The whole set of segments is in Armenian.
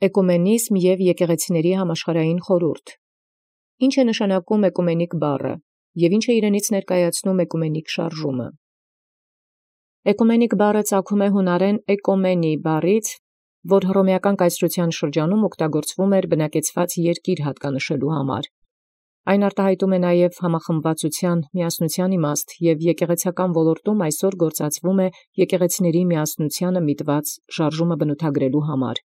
Էկումենիզմ և եկեղեցիների համաշխարհային խորհուրդ։ Ինչ է նշանակում էկումենիկ բառը և ինչ է իրենից ներկայացնում էկումենիկ շարժումը։ Էկումենիկ բառը ծագում է հունարեն էկոմենի բառից, որ հռոմեական կայսրության շրջանում օգտագործվում էր բնակեցված երկիր հատկանշելու համար։ Այն արտահայտում է նաև համախմբվածության միասնության իմաստ և եկեղեցական ոլորտում այսօր գործածվում է եկեղեցիների միասնությանը միտված շարժումը բնութագրելու համար։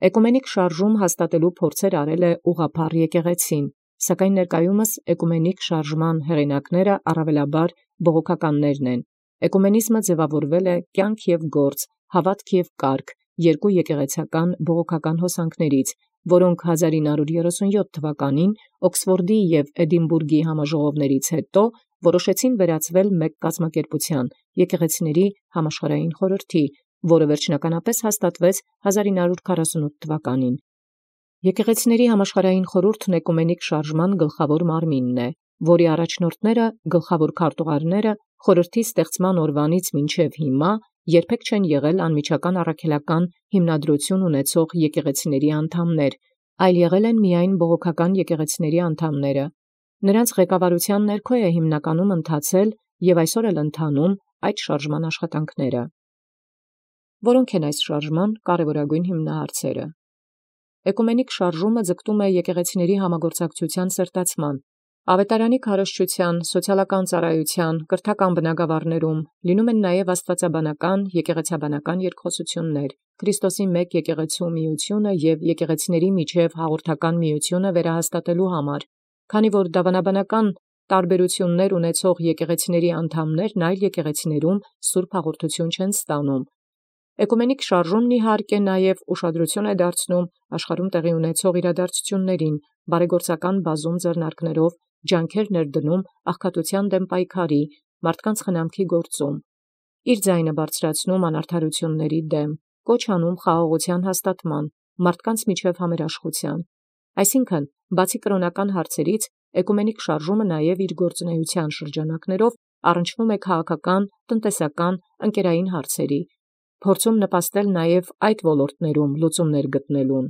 Էկումենիկ շարժում հաստատելու փորձեր արել է ուղղափառ եկեղեցին, սակայն ներկայումս էկումենիկ շարժման հեղինակները առավելաբար բողոքականներն են։ Էկումենիզմը ձևավորվել է կյանք և գործ, հավատք և կարգ երկու եկեղեցական բողոքական հոսանքներից, որոնք 1937 թվականին Օքսֆորդի և Էդինբուրգի համաժողովներից հետո որոշեցին վերածվել մեկ կազմակերպության՝ եկեղեցիների համաշխարհային խորհրդի, որը վերջնականապես հաստատվեց 1948 թվականին։ Եկեղեցիների համաշխարհային խորհուրդն էկումենիկ շարժման գլխավոր մարմինն է, որի առաջնորդները, գլխավոր քարտուղարները խորհրդի ստեղծման օրվանից մինչև հիմա երբեք չեն եղել անմիջական առաքելական հիմնադրություն ունեցող եկեղեցիների անդամներ, այլ եղել են միայն բողոքական եկեղեցիների անդամները։ Նրանց ղեկավարության ներքո է հիմնականում ընթացել և այսօր էլ ընթանում այդ շարժման աշխատանքները։ Որոնք են այս շարժման կարևորագույն հիմնահարցերը։ Էկումենիկ շարժումը ձգտում է եկեղեցիների համագործակցության սրտացման, ավետարանի քարոզչության, սոցիալական ծառայության, կրթական բնագավառներում, լինում են նաև աստվածաբանական, եկեղեցաբանական երկխոսություններ, Քրիստոսի մեկ եկեղեցու միությունը և եկեղեցիների միջև հաղորդական միությունը վերահաստատելու համար, քանի որ դավանաբանական տարբերություններ ունեցող եկեղեցիների անդամներն այլ եկեղեցիներում սուրբ հաղորդություն չեն ստանում։ Էկումենիկ շարժումն իհարկե նաև ուշադրություն է դարձնում աշխարհում տեղի ունեցող իրադարձություններին, բարեգործական բազում ձեռնարկներով ջանքեր ներդնում աղքատության դեմ պայքարի, մարդկանց խնամքի գործում, իր ձայնը բարձրացնում անարդարությունների դեմ, կոչ անում խաղաղության հաստատման, մարդկանց միջև համերաշխության։ Այսինքն, բացի կրոնական հարցերից, էկումենիկ շարժումը նաև իր գործունեության շրջանակներով առնչվում է քաղաքական, տնտեսական, ընկերային հարցերի, փորձում նպաստել նաև այդ ոլորտներում լուծումներ գտնելուն։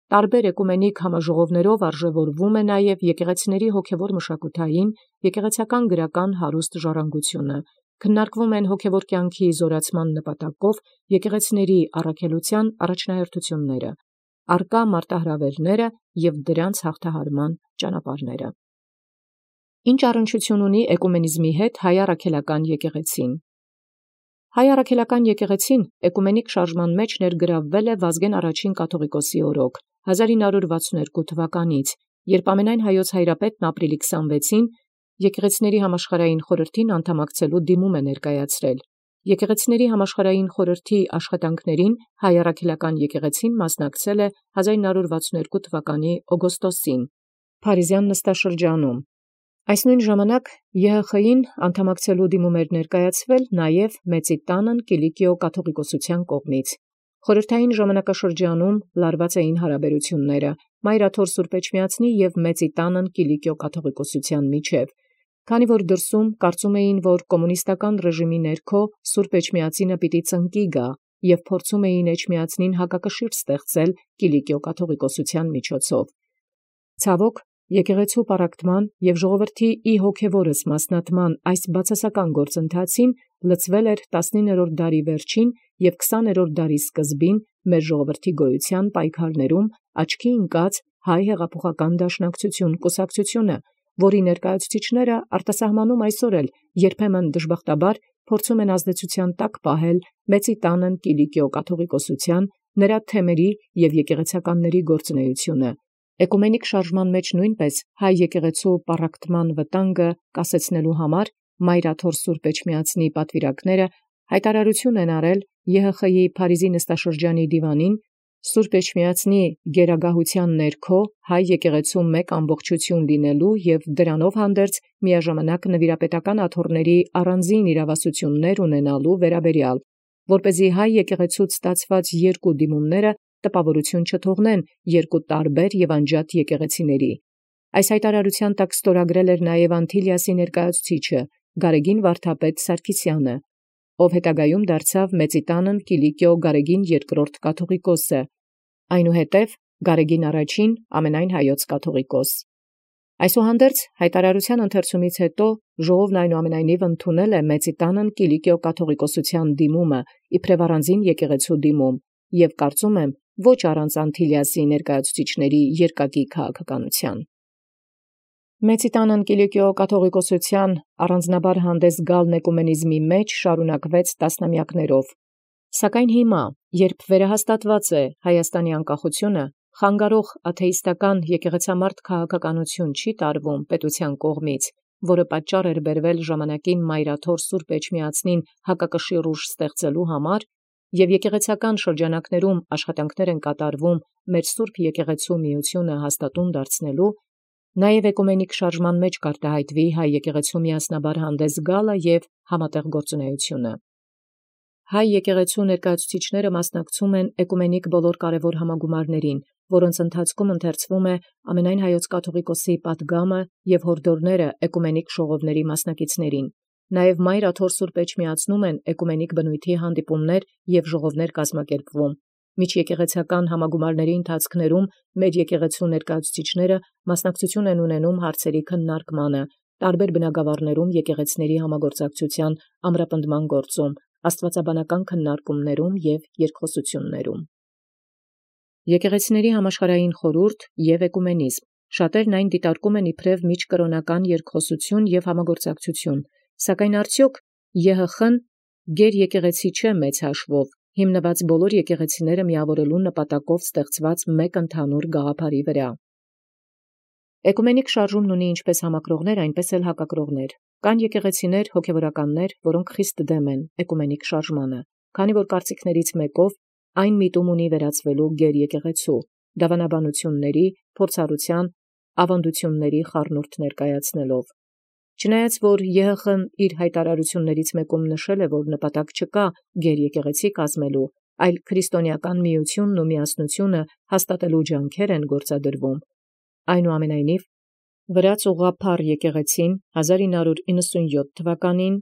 Տարբեր էկումենիկ համաժողովներով արժևորվում է նաև եկեղեցիների հոգևոր մշակութային, եկեղեցական գրական հարուստ ժառանգությունը, քննարկվում են հոգևոր կյանքի զորացման նպատակով եկեղեցիների առաքելության առաջնահերթությունները, առկա մարտահրավերները և դրանց հաղթահարման ճանապարհները։ Ինչ առնչություն ունի էկումենիզմի հետ հայ առաքելական եկեղեցին։ Հայ առաքելական եկեղեցին էկումենիկ շարժման մեջ ներգրավվել է Վազգեն առաջին կաթողիկոսի օրոք 1962 թվականից, երբ ամենայն հայոց հայրապետն ապրիլի 26-ին եկեղեցիների համաշխարհային խորհրդին անդամակցելու դիմում է ներկայացրել։ Եկեղեցիների համաշխարհային խորհրդի աշխատանքներին հայ առաքելական եկեղեցին մասնակցել է 1962 թվականի օգոստոսին Փարիզյան նստաշրջանում։ Այս նույն ժամանակ ԵՀԽ-ին անդամակցելու դիմում էր ներկայացվել նաև Մեծի տանն Կիլիկիո կաթողիկոսության կողմից։ Խորհրդային ժամանակաշրջանում լարված էին հարաբերությունները Մայրաթոր Սուրբ Էջմիածնի և Մեծի տանն Կիլիկիո կաթողիկոսության միջև, քանի որ դրսում կարծում էին, որ կոմունիստական ռեժիմի ներքո Սուրբ Էջմիածինը պիտի ծնկի գա և փորձում էին Էջմիածնին հակակշիռ ստեղծել Կիլիկիո կաթողիկոսության միջոցով։ Ցավոք, եկեղեցու պառակտման և ժողովրդի ի հոգևորս մասնատման այս բացասական գործընթացին լցվել էր 19-րդ դարի վերջին և 20-րդ դարի սկզբին մեր ժողովրդի գոյության պայքարներում աչքի ընկած հայ հեղափոխական դաշնակցություն կուսակցությունը, որի ներկայացուցիչները արտասահմանում այսօր էլ երբեմն դժբախտաբար փորձում են ազդեցության տակ պահել Մեծի տանն Կիլիկիո կաթողիկոսության, նրա թեմերի և եկեղեցականների գործունեությունը։ Էկումենիկ շարժման մեջ նույնպես հայ եկեղեցու պառակտման վտանգը կասեցնելու համար Մայրաթոր Սուրբ Էջմիածնի պատվիրակները հայտարարություն են արել ԵՀԽ-ի Փարիզի նստաշրջանի դիվանին Սուրբ Էջմիածնի գերագահության ներքո հայ եկեղեցու մեկ ամբողջություն լինելու և դրանով հանդերձ միաժամանակ նվիրապետական աթոռների առանձին իրավասություններ ունենալու վերաբերյալ, որպեսզի հայ եկեղեցուց ստացված երկու դիմումները տպավորություն չթողնեն երկու տարբեր և անջատ եկեղեցիների։ Այս հայտարարության տակ ստորագրել էր նաև Անտիլիասի ներկայացուցիչը Գարեգին վարդապետ Սարգիսյանը, ով հետագայում դարձավ Մեծի տանն Կիլիկիո Գարեգին II կաթողիկոսը, այնուհետև Գարեգին առաջին ամենայն հայոց կաթողիկոս։ Այսուհանդերձ հայտարարության ընթերցումից հետո ժողովն այնուամենայնիվ ընդունել է Մեծիտանն Կիլիկիո կաթողիկոսութեան դիմումը իբրև առանձին եկեղեցու դիմում, եւ կարծում եմ ոչ առանց Անտիլիասի ներկայացուցիչների երկակի քաղաքականության։ Մեծիտանն Կիլիկիո կաթողիկոսութեան առանձնաբար հանդես գալն էկումենիզմի մեջ շարունակվեց տասնամյակներով, սակայն հիմա, երբ վերահաստատված է Հայաստանի անկախությունը, խանգարող աթեիստական եկեղեցամարդ քաղաքականություն չի տարվում պետության կողմից, որը պատճառ էր բերվել ժամանակին Մայրաթոր Սուրբ Էջմիածնին հակակշիռ ուժ ստեղծելու համար, եւ եկեղեցական շրջանակներում աշխատանքներ են կատարվում մեր Սուրբ Եկեղեցու միությունը հաստատուն դարձնելու, նաեւ էկումենիկ շարժման մեջ կարտահայտվի հայ եկեղեցու միասնաբար հանդես գալը եւ համատեղ գործունեությունը։ Հայ եկեղեցու ներկայացուցիչները մասնակցում են էկումենիկ բոլոր կարևոր համագումարներին, որոնց ընթացքում ընթերցվում է ամենայն հայոց կաթողիկոսի պատգամը եւ հորդորները էկումենիկ ժողովների մասնակիցներին։ Նաեւ Մայրաթոր Սուրբ Էջմիածնում են էկումենիկ բնույթի հանդիպումներ եւ ժողովներ կազմակերպվում։ Միջեկեղեցական համագումարների ընթացքներում մեր եկեղեցու ներկայացուցիչները մասնակցություն են ունենում հարցերի քննարկմանը, տարբեր բնագավառներում եկեղեցիների համագործակցության ամրապնդման գործում, աստվածաբանական քննարկումներում եւ երկխոսություններում։ Եկեղեցիների համաշխարհային խորհուրդ եւ էկումենիզմ շատերն այն դիտարկում են իբրև միջկրոնական երկխոսություն եւ համագործակցություն, սակայն արդյոք ԵՀԽ-ն գեր եկեղեցի չէ մեծ հաշվով, հիմնված բոլոր եկեղեցիները միավորելու նպատակով ստեղծված մեկ ընդհանուր գաղափարի վրա։ Էկումենիկ շարժումն ունի ինչպես համակրողներ, այնպես էլ հակակրողներ։ Կան եկեղեցիներ հոգևորականներ, որոնք խիստ դեմ են էկումենիկ շարժմանը, քանի որ կարծիքներից մեկով այն միտում ունի վերածվելու գեր եկեղեցու, դավանաբանությունների, փորձառության, ավանդությունների խառնուրդ ներկայացնելով։ Չնայած որ ԵՀԽ-ն իր հայտարարություններից մեկում նշել է, որ նպատակ չկա գեր եկեղեցի կազմելու, այլ քրիստոնեական միությունն ու միասնությունը հաստատելու ջանքեր են գործադրվում, այնուամենայնիվ վրաց ուղղափառ եկեղեցին 1997 թվականին,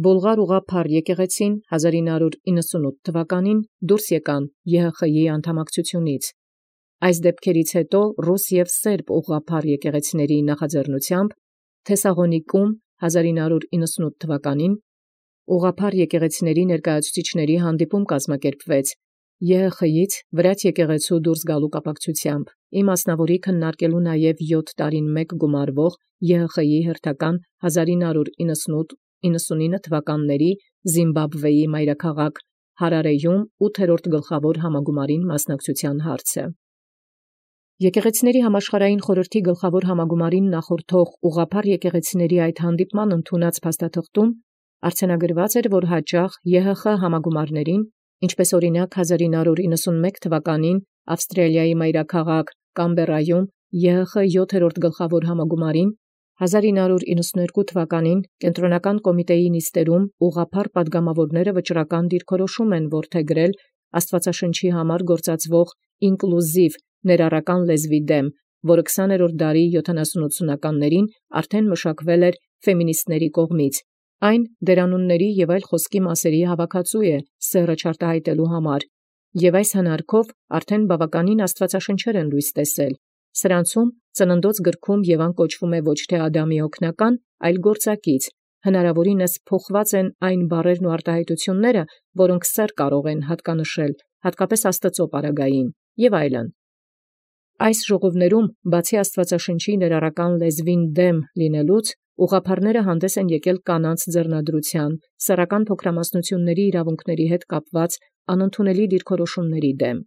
Բոլղար ուղղափառ եկեղեցին 1998 թվականին դուրս եկան ԵՀԽ-ի անդամակցությունից։ Այս դեպքերից հետո ռուս եւ սերբ ուղղափառ եկեղեցիների նախաձեռնությամբ Թեսաղոնիկում 1998 թվականին ուղղափառ եկեղեցիների ներկայացուցիչների հանդիպում կազմակերպվեց ԵՀԽ-ից վրաց եկեղեցու դուրս գալու կապակցությամբ, իմասնավորի քննարկելու նաև 7 տարին մեկ գումարվող ԵՀԽ-ի հերթական 1998-99 թվականների Զիմբաբվեի մայրաքաղաք Հարարեյում 8-րդ գլխավոր համագումարին մասնակցության հարցը։ Եկեղեցիների համաշխարհային խորհրդի գլխավոր համագումարին նախորդող ուղղափառ եկեղեցիների այդ հանդիպման ընդունած փաստաթղթում արձանագրված էր, որ հաճախ ԵՀԽ համագումարներին, ինչպես օրինակ 1991 թվականին Ավստրալիայի մայրաքաղաք Կամբերայում ԵՀԽ 7-րդ գլխավոր համագումարին, 1992 թվականին Կենտրոնական կոմիտեի նիստերում ուղղափառ պատգամավորները վճռական դիրքորոշում են որդեգրել Աստվածաշնչի համար գործածվող ինկլյուզիվ ներառական լեզվի դեմ, որը 20-րդ դարի 70-80-ականներին արդեն մշակվել էր ֆեմինիստների կողմից։ Այն դերանունների եւ այլ խոսքի մասերի հավաքածու է սեռը չարտահայտելու համար, եւ այս հնարքով արդեն բավականին աստվածաշնչեր են լույս տեսել։ Սրանցում ծննդոց գրքում Եվան կոչվում է ոչ թե Ադամի օգնական, այլ գործակից, հնարավորինս փոխված են այն բառերն ու արտահայտությունները, որոնք սեռ կարող են հատկանշել, հատկապես Աստծո պարագային եւ այլն։ Այս ժողովներում բացի Աստվածաշնչի ներառական լեզվին դեմ լինելուց, ուղղափառները հանդես են եկել կանանց ձեռնադրության, սեռական փոքրամասնությունների իրավունքների հետ կապված անընդունելի դիրքորոշումների դեմ։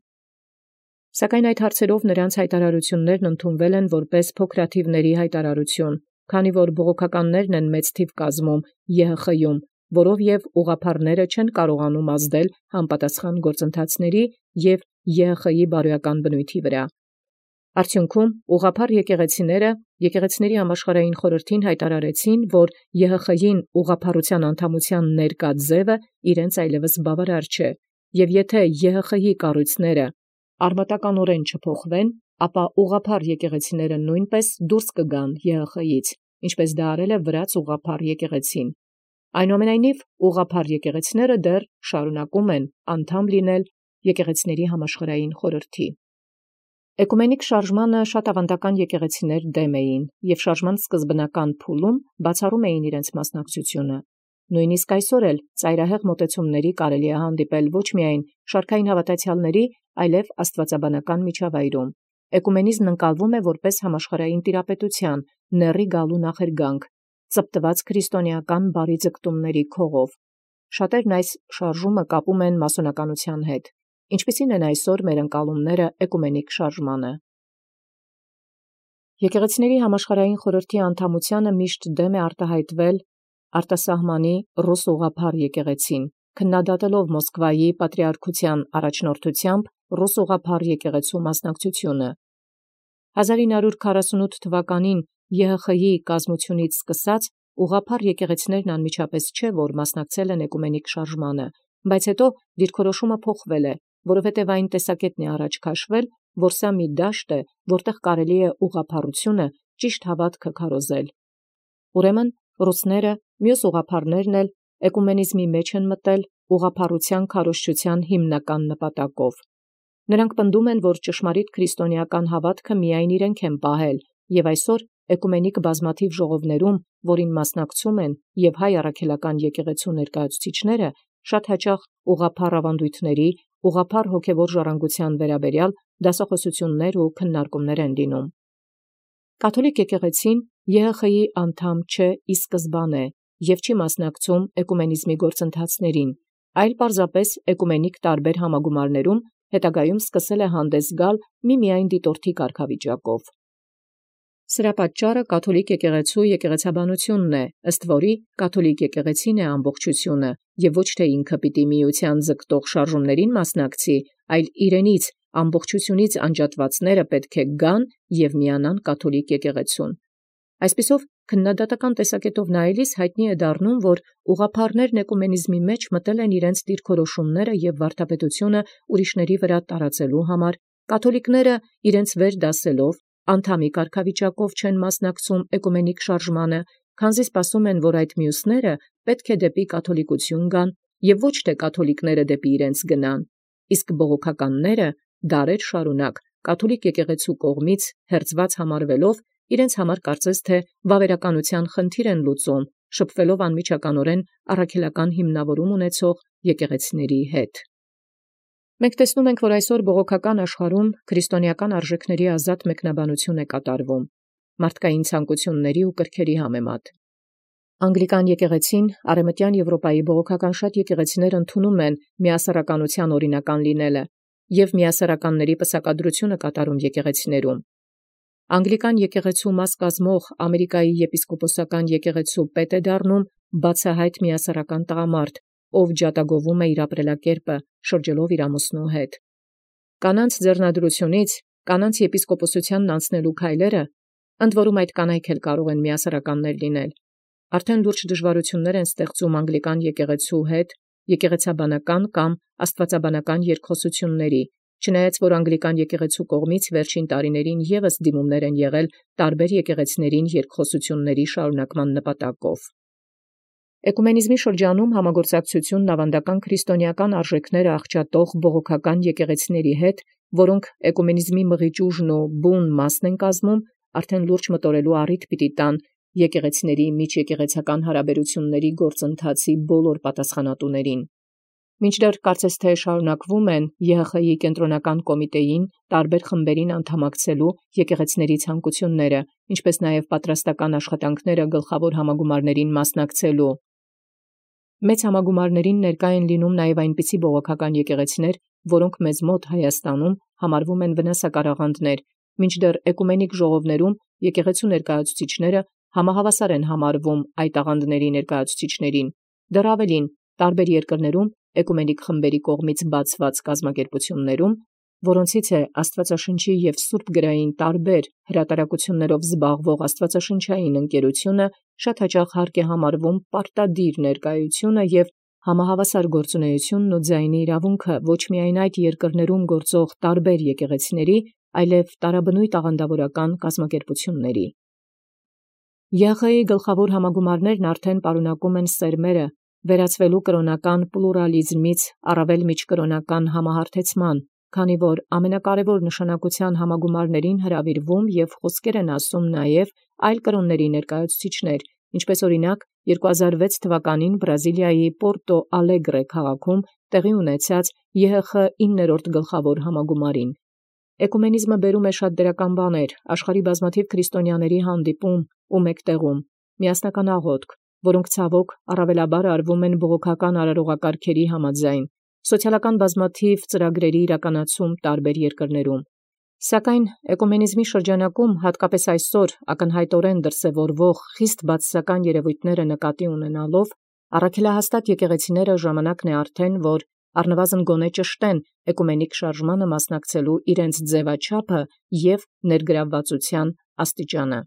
Սակայն այդ հարցերով նրանց հայտարարություններն ընդունվել են որպես փոքրաթիվների հայտարարություն, քանի որ բողոքականներն են մեծ թիվ կազմում ԵՀԽ-ում, որով եւ ուղղափառները չեն կարողանում ազդել համապատասխան գործընթացների եւ ԵՀԽ-ի բարոյական բնույթի վրա։ Արդյունքում ուղղափառ եկեղեցիները եկեղեցիների համաշխարհային խորհրդին հայտարարեցին, որ ԵՀԽ-ին ուղղափառության անդամության ներկա ձևը իրենց այլևս բավարար չէ, եւ եթե ԵՀԽ-ի կառույցները արմատականորեն չփոխվեն, ապա ուղղափառ եկեղեցիները նույնպես դուրս կգան ԵՀԽ-ից, ինչպես դա արել է վրաց ուղղափառ եկեղեցին։ Այնուամենայնիվ ուղղափառ եկեղեցիները դեռ շարունակում են անդամ լինել եկեղեցիների համաշխարհային խորհրդի։ Էկումենիկ շարժմանը շատ ավանդական եկեղեցիներ դեմ էին և շարժման սկզբնական փուլում բացառում էին իրենց մասնակցությունը։ Նույնիսկ այսօր էլ ծայրահեղ մոտեցումների կարելի է հանդիպել ոչ միայն շարքային հավատացյալների, այլև աստվածաբանական միջավայրում։ Էկումենիզմն ընկալվում է որպես համաշխարհային տիրապետության, նեռի գալու նախերգանք, ծպտված քրիստոնեական բարի ձգտումների քողով։ Շատերն այս շարժումը կապում են մասոնականության հետ, ինչպիսին են այսօր մեր ընկալումները էկումենիկ շարժմանը։ Եկեղեցիների համաշխարհային խորհրդի անդամությանը միշտ դեմ է արտահայտվել արտասահմանի ռուս ուղղափառ եկեղեցին, քննադատելով Մոսկվայի պատրիարքության առաջնորդությամբ ռուս ուղղափառ եկեղեցու մասնակցությունը։ 1948 թվականին ԵՀԽ-ի կազմությունից սկսած ուղղափառ եկեղեցիներն անմիջապես չէ, որ մասնակցել են էկումենիկ շարժմանը, բայց հետո դիրքորոշումը փոխվել է, որովհետև այն տեսակետն է առաջ քաշվել, որ սա մի դաշտ է, որտեղ կարելի է ուղղափառությունը ճիշտ հավատքը քարոզել։ Ուրեմն ռուսները, մյուս ուղղափառներն էլ էկումենիզմի մեջ են մտել ուղղափառության քարոզչության հիմնական նպատակով։ Նրանք պնդում են, որ ճշմարիտ քրիստոնեական հավատքը միայն իրենք են պահել, և այսօր էկումենիկ բազմաթիվ ժողովներում, որին մասնակցում են և հայ առաքելական եկեղեցու ներկայացուցիչները, շատ հաճախ ուղղափառ ավանդույթների, ուղղափառ հոգևոր ժառանգության վերաբերյալ դասախոսություններ ու քննարկումներ են լինում։ Կաթոլիկ եկեղեցին ԵՀԽ-ի անդամ չէ ի սկզբանե և չի մասնակցում էկումենիզմի գործընթացներին, այլ պարզապես էկումենիկ տարբեր համագումարներում հետագայում սկսել է հանդես գալ միմիայն դիտորդի կարգավիճակով։ Սրա պատճառը կաթոլիկ եկեղեցու եկեղեցաբանությունն է, ըստ որի կաթոլիկ եկեղեցին է ամբողջությունը և ոչ թե ինքը պիտի միության ձգտող շարժումներին մասնակցի, այլ իրենից ամբողջությունից անջատվածները պետք է գան և միանան կաթոլիկ եկեղեցուն։ Այսպիսով, քննադատական տեսակետով նայելիս հայտնի է դառնում, որ ուղղափառներն էկումենիզմի մեջ մտել են իրենց դիրքորոշումները և վարդապետությունը ուրիշների վրա տարածելու համար, կաթոլիկները իրենց վեր դասելով անդամի կարգավիճակով չեն մասնակցում էկումենիկ շարժմանը, քանզի սպասում են, որ այդ մյուսները պետք է դեպի կաթոլիկություն գան և ոչ թե կաթոլիկները դեպի իրենց գնան, իսկ բողոքականները դարեր շարունակ կաթոլիկ եկեղեցու կողմից հերձված համարվելով իրենց համար կարծես թե վավերականության խնդիր են լուծում, շփվելով անմիջականորեն առաքելական հիմնավորում ունեցող եկեղեցիների հետ։ Մենք տեսնում ենք, որ այսօր բողոքական աշխարհում քրիստոնեական արժեքների ազատ մեկնաբանություն է կատարվում մարդկային ցանկությունների ու կրքերի համեմատ։ Անգլիկան եկեղեցին Արևմտյան Եվրոպայի բողոքական շատ եկեղեցիներ ընդունում են միասեռականության օրինական լինելը և միասեռականների պսակադրությունը կատարում եկեղեցիներում։ Անգլիկան եկեղեցու մաս կազմող Ամերիկայի եպիսկոպոսական եկեղեցու պետ է դառնում բացահայտ միասեռական տղամարդ, ով ջատագովում է իր ապրելակերպը, շրջելով իր ամուսնու հետ։ Կանանց ձեռնադրությունից կանանց եպիսկոպոսությանն անցնելու քայլերը, ընդ որում այդ կանայք էլ կարող են միասեռականներ լինել, արդեն լուրջ դժվարություններ են ստեղծում անգլիկան եկեղեցու հետ եկեղեցաբանական կամ աստվածաբանական երկխոսությունների, չնայած որ անգլիկան եկեղեցու կողմից վերջին տարիներին ևս դիմումներ են եղել տարբեր եկեղեցիներին երկխոսությունների շարունակման նպատակով։ Էկումենիզմի շրջանում համագործակցությունն ավանդական քրիստոնեական արժեքները աղճատող բողոքական եկեղեցիների հետ, որոնք էկումենիզմի մղիչ ուժն ու բուն մասն են կազմում, արդեն լուրջ մտորելու առիթ պիտի տան եկեղեցիների միջեկեղեցական հարաբերությունների գործընթացի բոլոր պատասխանատուներին։ Մինչդեռ կարծես թե շարունակվում են ԵՀԽ-ի կենտրոնական կոմիտեին տարբեր խմբերին անդամակցելու եկեղեցիների ցանկությունները, ինչպես նաև պատրաստական աշխատանքները գլխավոր համագումարներին մասնակցելու։ Մեծ համագումարներին ներկա են լինում նաև այնպիսի բողոքական եկեղեցիներ, որոնք մեզ մոտ Հայաստանում համարվում են վնասակարաղանդներ, մինչդեռ էկումենիկ ժողովներում եկեղեցու ներկայացուցիչները համահավասար են համարվում այդ աղանդների ներկայացուցիչներին։ Դեռ ավելին, տարբեր երկրներում էկումենիկ խմբերի կողմից բացված կազմակերպություններում, որոնցից է Աստվածաշնչի և Սուրբ գրային տարբեր հրատարակություններով զբաղվող Աստվածաշնչային ընկերությունը, շատ հաճախ հարկ է համարվում պարտադիր ներկայությունը և համահավասար գործունեությունն ու ձայնի իրավունքը ոչ միայն այդ երկրներում գործող տարբեր եկեղեցիների, այլև տարաբնույթ աղանդավորական կազմակերպությունների։ ԵՀԽ-ի գլխավոր համագումարներն արդեն պարունակում են սերմերը վերածվելու կրոնական պլուրալիզմից առավել միջկրոնական համահարթեցման, քանի որ ամենակարևոր նշանակության համագումարներին հրավիրվում և խոսքեր են ասում նաև այլ կրոնների ներկայացուցիչներ, ինչպես օրինակ 2006 թվականին Բրազիլիայի Պորտո Ալեգրե քաղաքում տեղի ունեցած ԵՀԽ 9-րդ գլխավոր համագումարին։ Էկումենիզմը բերում է շատ դրական բաներ, աշխարհի բազմաթիվ քրիստոնյաների հանդիպում ու մեկտեղում, միասնական աղոթք, որոնք ցավոք առավելաբար արվում են բողոքական արարողակարգերի համաձայն, սոցիալական բազմաթիվ ծրագրերի իրականացում տարբեր երկրներում։ Սակայն էկումենիզմի շրջանակում, հատկապես այսօր ակնհայտորեն դրսևորվող խիստ բացասական երևույթները նկատի ունենալով, առաքելահաստատ եկեղեցիները ժամանակն է արդեն, որ առնվազն գոնե ճշտեն էկումենիկ շարժմանը մասնակցելու իրենց ձևաչափը և ներգրավվածության աստիճանը։